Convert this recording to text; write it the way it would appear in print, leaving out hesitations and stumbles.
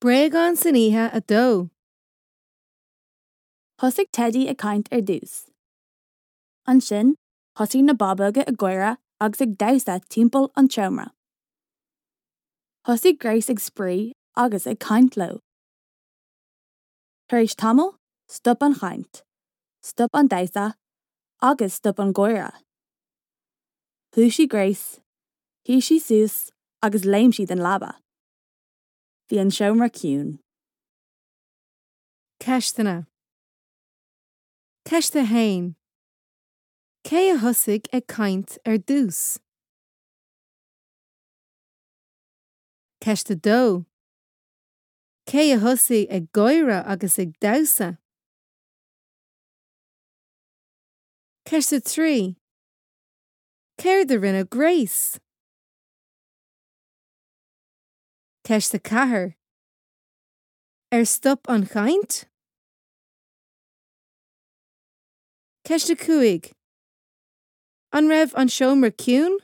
Bréagáin san oíche 2. Thosaigh Teidí ag caint ar dtús. Ansin, thosaigh na bábóga ag gáire agus ag damhsa timpeall an tseomra. Thosaigh Grace ag spraoi agus ag caint leo. Tar éis tamaill, stop an chaint, stop an damhsa agus stop an gáire. Dhúisigh Grace, shuigh sí suas agus léim sí den leaba. Bhí an seomra ciúin. Ceisteanna. Ceist 1. Cé a thosaigh ag caint ar dtús? Ceist 2. Cé a thosaigh ag gáire agus ag damhsa? Ceist 3. Céard a rinne Grace? Ceist 4. Ar stop an chaint? Ceist 5. An raibh an seomra ciúin?